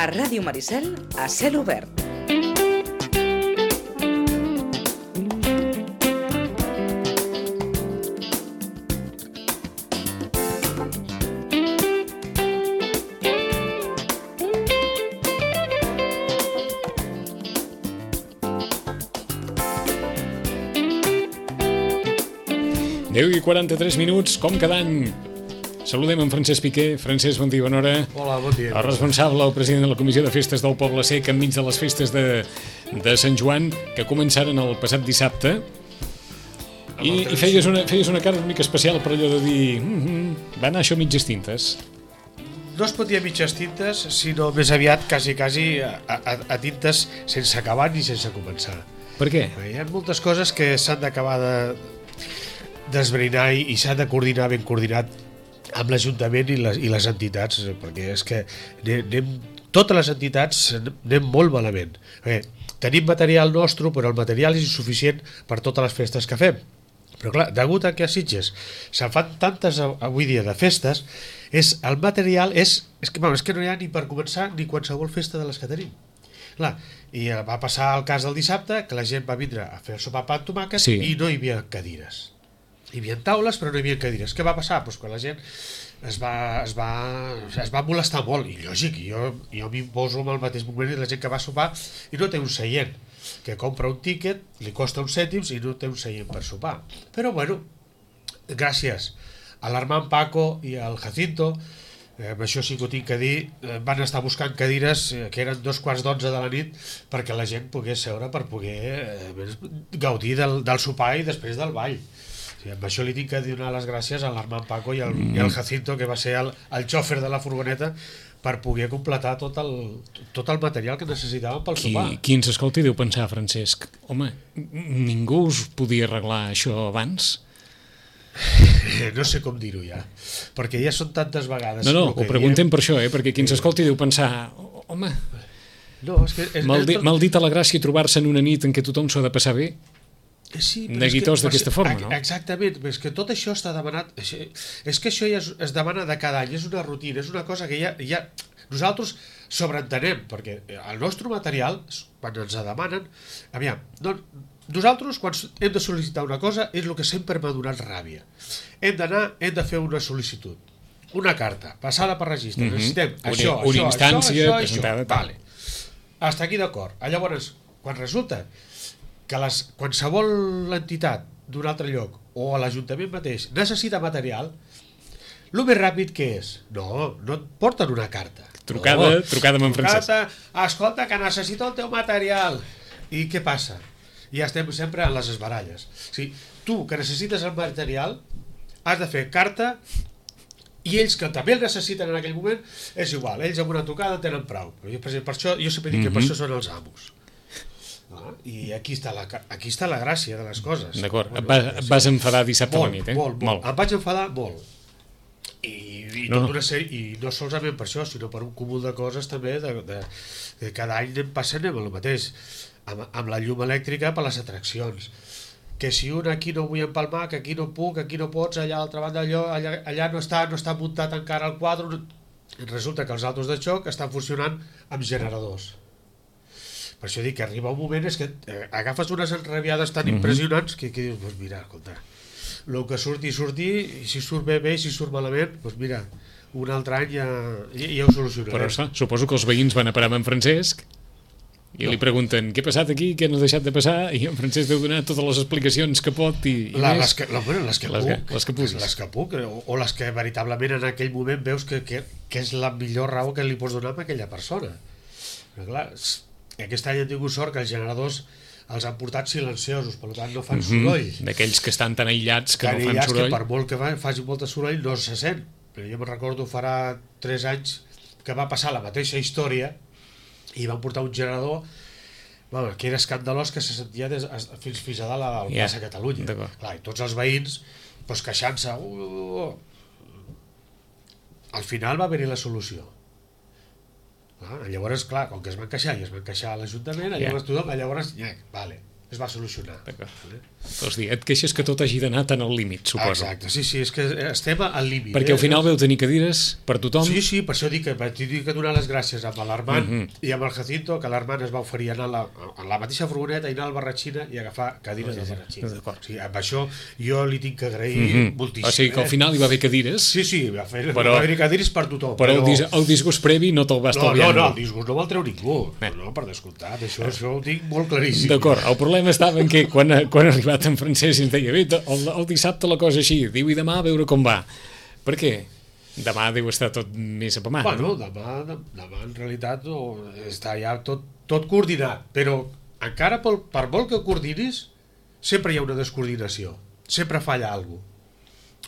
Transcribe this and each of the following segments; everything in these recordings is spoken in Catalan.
A Ràdio Maricel, a cel obert. I 43 minuts, com cada any. Saludem en Francesc Piqué. Francesc, bon dia, bona hora. Hola, bon dia. El responsable, el president de la Comissió de Festes del Poble Sec, enmig de les festes de Sant Joan, que començaren el passat dissabte. I feies una cara una mica especial per allò de dir... va anar això mitges tintes. No es pot dir a mitges tintes, sinó més aviat quasi a tintes sense acabar ni sense començar. Per què? Hi ha moltes coses que s'han d'acabar d'esbrinar i s'ha de coordinar ben coordinat amb l'Ajuntament i les entitats, perquè és que totes les entitats anem molt malament. Tenim material nostre, però el material és insuficient per totes les festes que fem. Però clar, degut a que a Sitges se'n fan tantes avui dia de festes, el material és que no hi ha ni per començar ni qualsevol festa de les que tenim. Clar, i va passar el cas del dissabte, que la gent va vindre a fer el sopar pa amb tomàquet i no hi havia cadires. Hi havia taules però no hi havia cadires. Què va passar? Pues que la gent es va molestar molt, i lògic, jo m'hi poso en el mateix moment i la gent que va sopar i no té un seient, que compra un tíquet, li costa uns cèntims i no té un seient per sopar. Però bueno, gràcies a l'Armand Paco i al Jacinto, amb això sí que ho tinc que dir, van estar buscant cadires que eren 11:15 de la nit perquè la gent pogués seure per poder gaudir del sopar i després del ball. Amb això li tinc que donar les gràcies a l'Armand Paco i al Jacinto, que va ser el xòfer de la furgoneta, per poder completar tot el material que necessitàvem pel sopar. Qui ens escolti deu pensar, Francesc, home, ningú us podia arreglar això abans? No sé com dir-ho ja, perquè ja són tantes vegades. No, ho preguntem per això, perquè qui ens escolti deu pensar, home, mal dit a la gràcia trobar-se en una nit en què tothom s'ha de passar bé. Sí, neguitós d'aquesta forma, no? Exactament, és que tot això està demanat, és que això ja es demana de cada any, és una rutina, és una cosa que ja nosaltres sobreentenem, perquè el nostre material, quan ens demanen, nosaltres quan hem de sol·licitar una cosa és el que sempre m'ha donat ràbia. Hem de fer una sol·licitud, una carta, passada per registre, necessitem això, una instància presentada, vale. Hasta aquí d'acord. Llavors, quan resulta que qualsevol entitat d'un altre lloc o a l'Ajuntament mateix necessita material, el més ràpid que és? No et porten una carta. Trucada amb en Francesc. Escolta, que necessito el teu material. I què passa? Ja estem sempre en les esbaralles. Tu, que necessites el material, has de fer carta, i ells que també el necessiten en aquell moment, és igual, ells amb una trucada tenen prou. Per això jo sempre dic que per això són els amos. I aquí està la gràcia de les coses. D'acord, et vas enfadar dissabte a la nit, molt. Em vaig enfadar molt i no solament per això, sinó per un cúmul de coses també de cada any anem passant amb el mateix, amb la llum elèctrica per les atraccions, que si un aquí no vull empalmar, que aquí no puc, aquí no pots, allà a l'altra banda allà no està muntat encara el quadre, resulta que els altos de xoc estan funcionant amb generadors. Per això dic que arriba un moment és que agafes unes enrabiades tan impressionants que dius, doncs mira, escolta, el que surti, i si surt bé, i si surt malament, doncs mira, un altre any ja ho solucionarem. Però suposo que els veïns van a parar amb en Francesc i li pregunten què ha passat aquí, què no ha deixat de passar, i en Francesc deu donar totes les explicacions que pot i les que puc, o les que veritablement en aquell moment veus que és la millor raó que li pots donar a aquella persona. Però clar, aquest any hem tingut sort que els generadors els han portat silenciosos, per tant no fan soroll. D'aquells que estan tan aïllats que no fan soroll. Que per molt que faci molt de soroll no se sent. Però jo me'n recordo farà 3 anys que va passar la mateixa història i van portar un generador que era escandalós, que se sentia fins a dalt al plaça Catalunya. Clar, i tots els veïns queixant-se. Al final va haver-hi la solució. Llavors, clar, com que es van queixar a l'Ajuntament, llavors tothom, vale, es va solucionar. Vols dir, et queixes que tot hagi d'anar tan al límit, suposo. Exacte, sí, és que estem al límit. Perquè al final veu tenir cadires per tothom. Sí, per això dic que vaig dir que donar les gràcies amb l'Armand i amb el Jacinto, que l'Armand es va oferir anar a la mateixa furgoneta i anar al Barratxina i agafar cadires del Barratxina. O sigui, amb això jo li tinc que agrair moltíssim. O sigui que al final hi va haver cadires. Sí, va haver cadires per tothom. Però el disgust previ no te'l va estalviar. No, el disgust no me'l treu ningú. No, per descomptat, això ho tinc molt claríssim. D'acord, el problema estava en que quan ha arribat en Francesc ens deia, bé, el dissabte la cosa així, diu, i demà a veure com va. Per què? Demà deu estar tot més apamat. Bueno, demà en realitat està ja tot coordinat, però encara per molt que coordinis, sempre hi ha una descoordinació, sempre falla alguna cosa.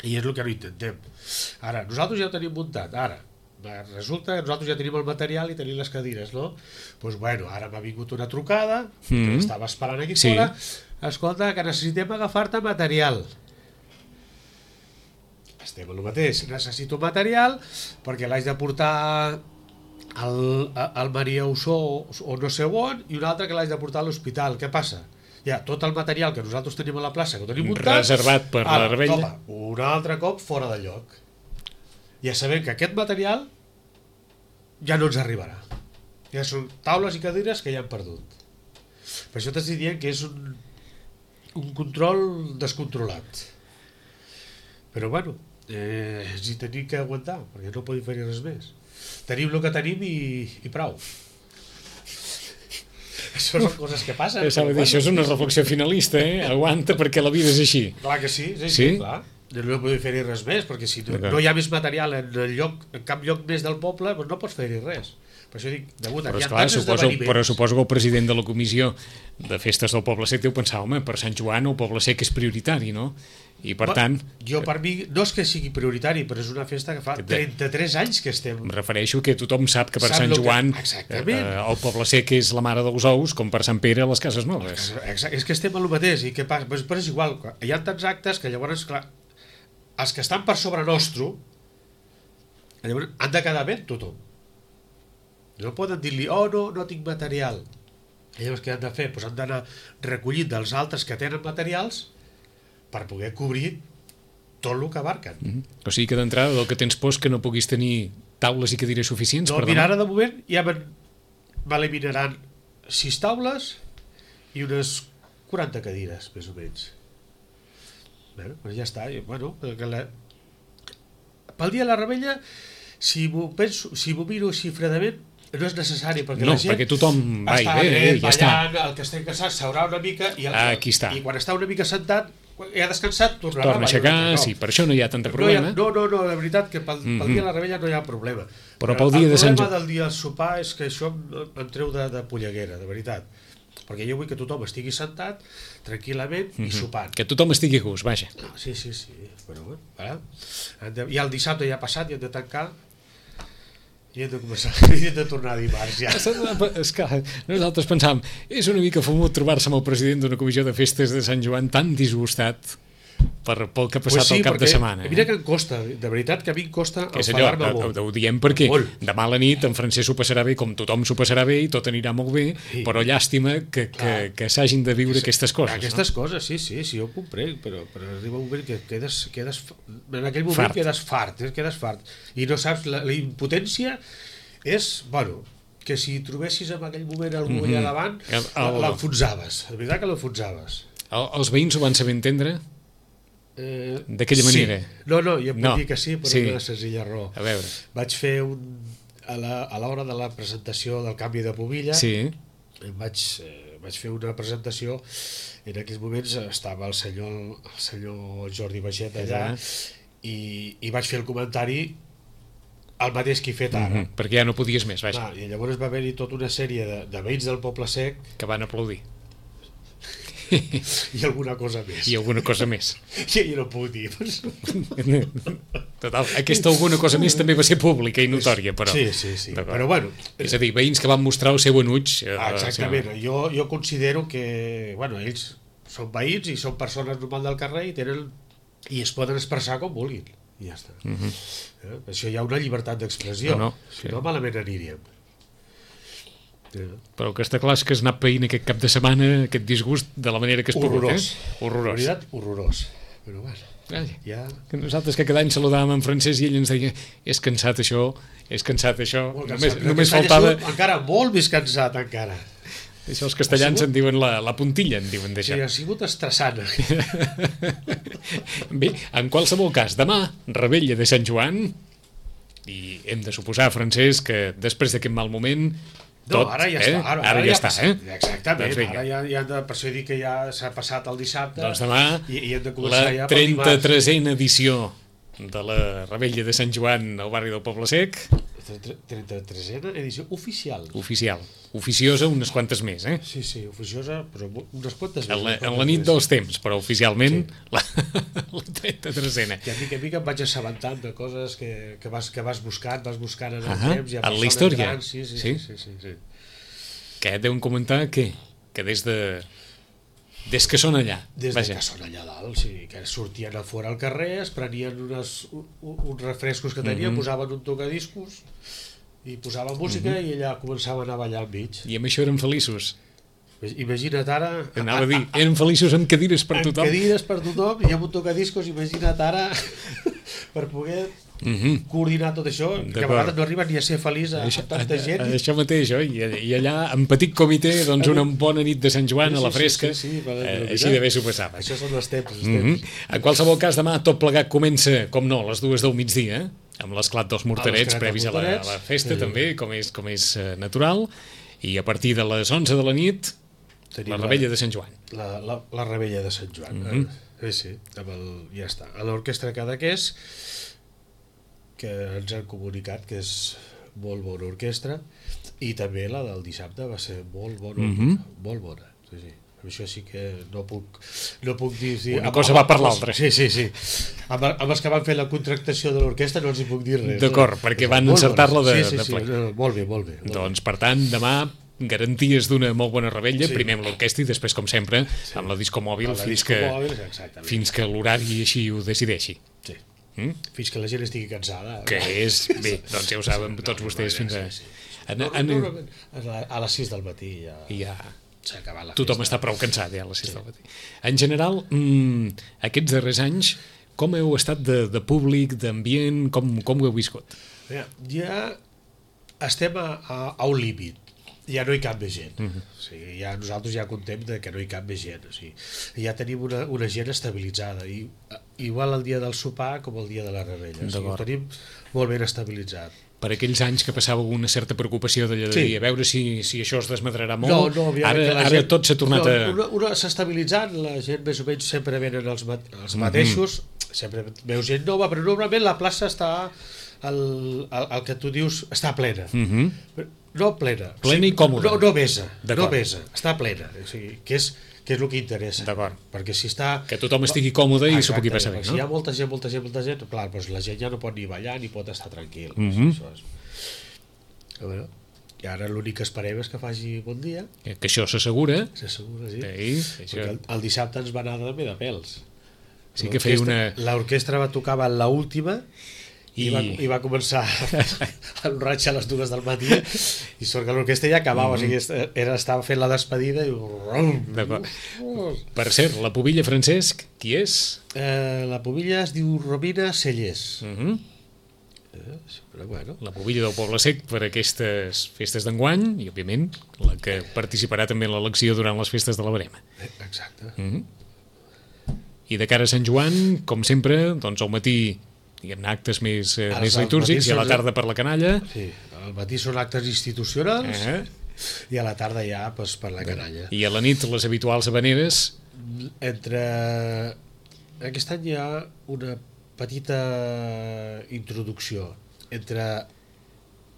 I és el que no intentem. Ara, nosaltres ja ho tenim muntat, resulta que nosaltres ja tenim el material i tenim les cadires, no? Doncs bueno, ara m'ha vingut una trucada, que estava esperant aquí fora, escolta, que necessitem agafar-te material. Estem en el mateix, necessito material perquè l'haig de portar al Maria Ossó o no sé on, i un altre que l'haig de portar a l'hospital. Què passa? Ja, tot el material que nosaltres tenim a la plaça, que ho tenim muntat, reservat per la rebella, un altre cop fora de lloc. Ja sabem que aquest material ja no ens arribarà. Ja són taules i cadires que ja han perdut. Per això t'estic dient que és un control descontrolat. Però bueno, ens hi tenim que aguantar, perquè no podem fer res més. Tenim el que tenim i prou. Això són coses que passen. Això és una reflexió finalista, aguanta perquè la vida és així. Clar que sí, clar. No podem fer-hi res més, perquè si no hi ha més material en cap lloc més del poble, doncs no pots fer-hi res. Per això dic, degut a que hi ha tants esdeveniments... Però suposo que el president de la comissió de festes del Poble Sec deu pensar, home, per Sant Joan el Poble Sec és prioritari, no? I per tant... Jo per mi no és que sigui prioritari, però és una festa que fa 33 anys que estem... Em refereixo que tothom sap que per Sant Joan el Poble Sec és la mare dels ous, com per Sant Pere les Cases Noves. És que estem en el mateix, i què passa? Però és igual, hi ha tants actes que llavors, clar, els que estan per sobre nostre llavors han de quedar bé tothom. No poden dir-li, no tinc material. I llavors què han de fer? Doncs han d'anar recollint dels altres que tenen materials per poder cobrir tot el que abarquen. O sigui que d'entrada del que tens por és que no puguis tenir taules i cadires suficients per demà? No, mira, ara de moment ja m'eliminaran 6 taules i unes 40 cadires, més o menys. Bé, doncs ja està. Bueno, pel dia de la rebella, si m'ho miro així fredament, no és necessari, perquè la gent perquè tothom està ballant, el que estigui cansat s'haurà una mica i quan està una mica sentat i ha descansat torna a aixecar, sí, per això no hi ha tant problema. No, la veritat que pel dia de la rebella no hi ha problema, però pel dia de Sant Joan, el problema del dia del sopar és que això em treu de polleguera, de veritat, perquè jo vull que tothom estigui sentat tranquil·lament i sopant, que tothom estigui a gust, vaja. Sí, però bueno, i el dissabte ja ha passat i hem de tancar i hem de tornar a dimarts ja. És que nosaltres pensàvem, és una mica fumut trobar-se amb el president d'una comissió de festes de Sant Joan tan disgustat pel que ha passat el cap de setmana. Mira que em costa, de veritat que a mi em costa enfadar-me molt. Ho diem perquè demà a la nit en Francesc s'ho passarà bé com tothom s'ho passarà bé i tot anirà molt bé, però llàstima que s'hagin de viure aquestes coses. Aquestes coses, sí, jo ho comprenc, però arriba un moment que quedes en aquell moment quedes fart i no saps, la impotència és, bueno, que si trobessis en aquell moment algú allà davant l'enfonsaves, de veritat que l'enfonsaves. Els veïns ho van saber entendre? D'aquella manera? No, jo puc dir que sí, per una senzilla raó. A veure. Vaig fer a l'hora de la presentació del canvi de pubilla, vaig fer una presentació, en aquells moments estava el senyor Jordi Baixet allà i vaig fer el comentari el mateix que he fet ara. Perquè ja no podies més, vaja. I llavors va haver-hi tota una sèrie de veïns del Poble Sec que van aplaudir. I alguna cosa més. Jo no puc dir. Total, aquesta alguna cosa més també va ser pública i notòria, però... Sí. Però bueno... És a dir, veïns que van mostrar el seu enuig... Exactament. Jo considero que, bueno, ells són veïns i són persones normals del carrer i es poden expressar com vulguin. I ja està. Això hi ha una llibertat d'expressió. Si no, malament aniríem. Però que està clar és que has anat païnt aquest cap de setmana, aquest disgust, de la manera que has pogut. Horrorós. Horrorós. La veritat, horrorós. Però bueno, ja... Que nosaltres que cada any saludàvem en francès i ell ens deia és cansat això. Molt cansat. Només Aquest any faltava... ha sigut encara molt més cansat, encara. Això els castellans en diuen la puntilla, en diuen d'això. Sí, ha sigut estressant. Bé, en qualsevol cas, demà, Revetlla de Sant Joan, i hem de suposar, Francesc, que després d'aquest mal moment... No, ara ja està. Ara ja està, Exactament, doncs ara ja per això dic que ja s'ha passat el dissabte. Doncs demà, i hem de començar la ja pel 33a edició de la Revetlla de Sant Joan al barri del Poble Sec. 33a edició oficial. Oficial. Oficiosa unes quantes més, Sí, oficiosa, però unes quantes més. En la nit dels temps, però oficialment la 33a. I a mica em vaig assabentant de coses que vas buscant en el temps. En la història. Grans, sí. Que deuen comentar que des que són allà. Des que són allà dalt, sí, que sortien a fora al carrer, es prenien uns refrescos que tenien, posaven un tocadiscos i posaven música i allà començaven a ballar al mig. I amb això eren feliços. Imagina't ara... Anava a dir, eren feliços amb cadires per tothom. Amb cadires per tothom i amb un tocadiscos, imagina't ara per poder coordinar tot això, que a vegades no arriben ni a ser feliç a tanta gent. Això mateix, i allà en petit comitè, doncs una bona nit de Sant Joan a la fresca, així d'haver s'ho passava. Això són els temps. En qualsevol cas, demà tot plegat comença, com no, a les 2 del migdia, amb l'esclat dels morterets previs a la festa també, com és natural, i a partir de les 11 de la nit la Revetlla de Sant Joan. La Revetlla de Sant Joan. Sí, ja està. A l'orquestra Cadaqués, que ens han comunicat que és molt bona orquestra, i també la del dissabte va ser molt bona. Molt bona. Sí. Això sí que no puc dir... Una cosa va per l'altra. Sí. Amb els que van fer la contractació de l'orquestra no els hi puc dir res. D'acord, perquè van encertar-la de ple. Molt bé. Doncs, per tant, demà garanties d'una molt bona revetlla, primer amb l'orquestra i després, com sempre, amb la disco mòbil fins que l'horari així ho decideixi. Sí. Fins que la gent estigui cansada. Que és, bé, doncs ja ho saben tots vostès fins a... A les 6 del matí ja s'ha acabat la festa. Tothom està prou cansat ja a les 6 del matí. En general, aquests darrers anys, com heu estat de públic, d'ambient, com ho heu viscut? Ja estem a un límit. Ja no hi cap més gent. Nosaltres ja contem que no hi cap més gent. Ja tenim una gent estabilitzada, igual el dia del sopar com el dia de la revetlla. Ho tenim molt ben estabilitzat. Per aquells anys que passava una certa preocupació de dir, a veure si això es desmadrarà molt, ara tot s'ha tornat a... Una s'ha estabilitzat, la gent més o menys sempre venen els mateixos, sempre veu gent nova, però normalment la plaça està, el que tu dius, està plena. No plena. Plena i còmoda. No vesa, està plena, que és el que interessa. D'acord. Perquè si està... Que tothom estigui còmode i s'ho pugui passar bé, no? Si hi ha molta gent, clar, doncs la gent ja no pot ni ballar ni pot estar tranquil. I ara l'únic que esperem és que faci bon dia. Que això s'assegura. S'assegura, sí. Perquè el dissabte ens va anar també de pèls. Sí que feia una... L'orquestra va tocar a l'última i va començar el raig a les 2 del matí i sort que l'orquestra ja acabava, estava fent la despedida i... D'acord. Per cert, la pubilla, Francesc, qui és? La pubilla es diu Romina Cellers. La pubilla del Poble Sec per aquestes festes d'enguany i, òbviament, la que participarà també en l'elecció durant les festes de la Verema. Exacte. I de cara a Sant Joan, com sempre, doncs al matí diguem-ne actes més litúrgics i a la tarda per la canalla. Sí, al matí són actes institucionals i a la tarda ja per la canalla. I a la nit les habituals habaneres. Aquest any hi ha una petita introducció entre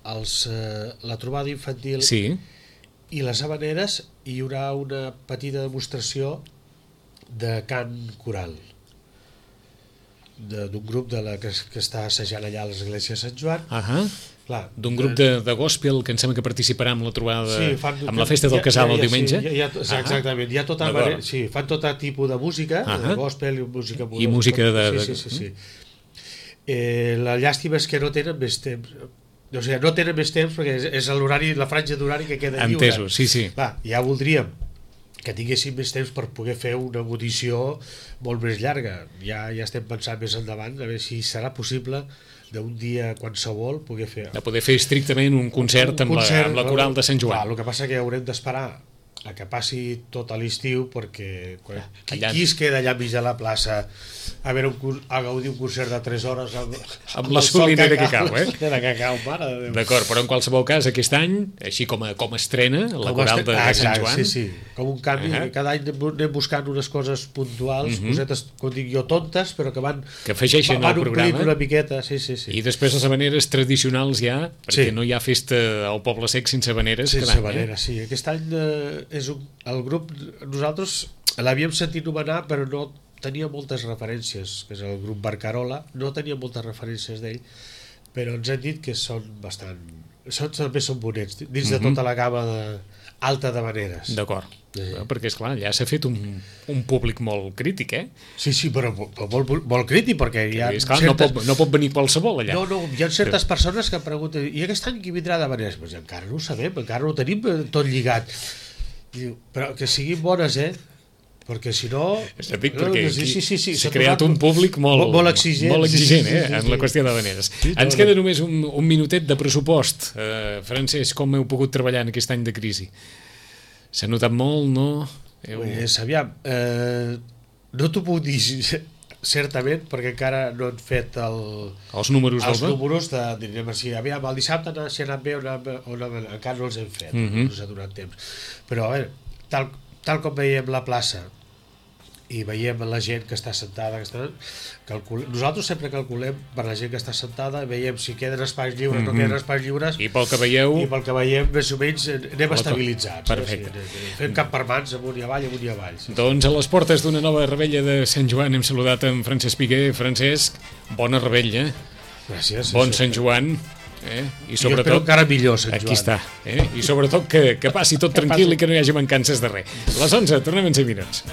la trobada infantil i les habaneres. Hi haurà una petita demostració de cant coral d'un grup que està assajant allà a l'església de Sant Joan. D'un grup de gospel que em sembla que participarà amb la trobada, amb la festa del casal el diumenge. Exactament, fan tot tipus de música, de gospel i música de... La llàstima és que no tenen més temps, O sigui, no tenen més temps perquè és l'horari, la franja d'horari que queda lliure. Entesos, sí. Clar, ja voldríem que tinguéssim més temps per poder fer una audició molt més llarga. Ja estem pensant més endavant a veure si serà possible d'un dia qualsevol poder fer... De poder fer estrictament un concert amb la coral de Sant Joan. Clar, el que passa que haurem d'esperar a que passi tot a l'estiu perquè qui es queda allà mig de la plaça a gaudir un concert de 3 hores amb la solinera que cau, que cau, mare de Déu. D'acord, però en qualsevol cas aquest any, així com a estrena la coral de Sant Joan, sí, com un canvi, cada any anem buscant unes coses puntuals, cosetes, com dic jo, tontes, però que afegeixen al programa una miqueta, sí. I després les habaneres tradicionals ja, perquè no hi ha festa al Poble Sec sense habaneres cada any. Sense habaneres, sí. Aquest any el grup, nosaltres l'havíem sentit nomenar però no tenia moltes referències, que és el grup Barcarola, no tenia moltes referències d'ell, però ens han dit que són bastant, també són bonets dins de tota la gamma alta d'habaneres. D'acord, perquè esclar, ja s'ha fet un públic molt crític, Sí, però molt crític, perquè hi ha esclar, no pot venir qualsevol allà. No, hi ha certes persones que pregunten, i aquest any qui vindrà d'habaneres? Pues encara no ho sabem, encara no ho tenim tot lligat. Diu, però que siguin bones, perquè si no... perquè s'ha creat un públic molt exigent en la qüestió d'habaneres. Ens queda només un minutet de pressupost. Francesc, com heu pogut treballar en aquest any de crisi? S'ha notat molt, no? Aviam, no t'ho puc dir certament, perquè encara no han fet els números direm així, aviam, el dissabte si ha anat bé o encara no els hem fet, no s'ha donat temps, però a veure, tal com veiem la plaça i veiem la gent que està sentada, nosaltres sempre calculem per la gent que està sentada, veiem si queden espais lliures, no queden espais lliures, i pel que veiem més o menys anem estabilitzats. Perfecte. Fem cap per mans, amunt i avall. Doncs a les portes d'una nova revetlla de Sant Joan hem saludat en Francesc Piguer. Francesc, bona revetlla. Gràcies. Bon Sant Joan. I sobretot, jo espero encara millor Sant Joan. Aquí està. I sobretot que passi tot tranquil i que no hi hagi mancances de res. Les 11, tornem en 5 minuts.